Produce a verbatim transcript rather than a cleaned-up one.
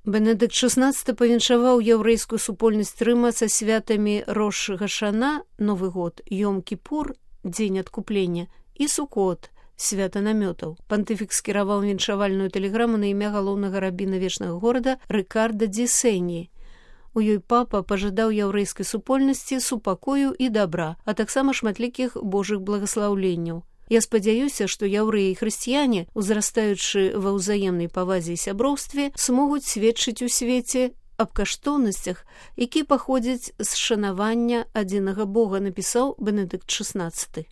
Бенедыкт шаснаццаты павіншаваў яўрэйскую супольнасць Рыма са святамі Рош Гашана, Новы год, Йом-Кіпур, дзень адкуплення, і Сукот, свята намётаў. Пантыфік скіраваў віншавальную тэлеграму на імя галоўнага рабіна вечнага горада Рыкарда ді Сені. У ёй папа пажадаў яўрэйскай супольнасці супакою і дабра, а таксама шматлікіх божых благаслаўленняў. Я спадзяюся, што яўрэі і хрысціяне, узрастаючы ва ўзаемнай павазе і сяброўстве, смогуць сведчыць у свеце аб каштоўнасцях, якія паходзяць з шанавання адзінага Бога, напісаў Бенедыкт шаснаццаты.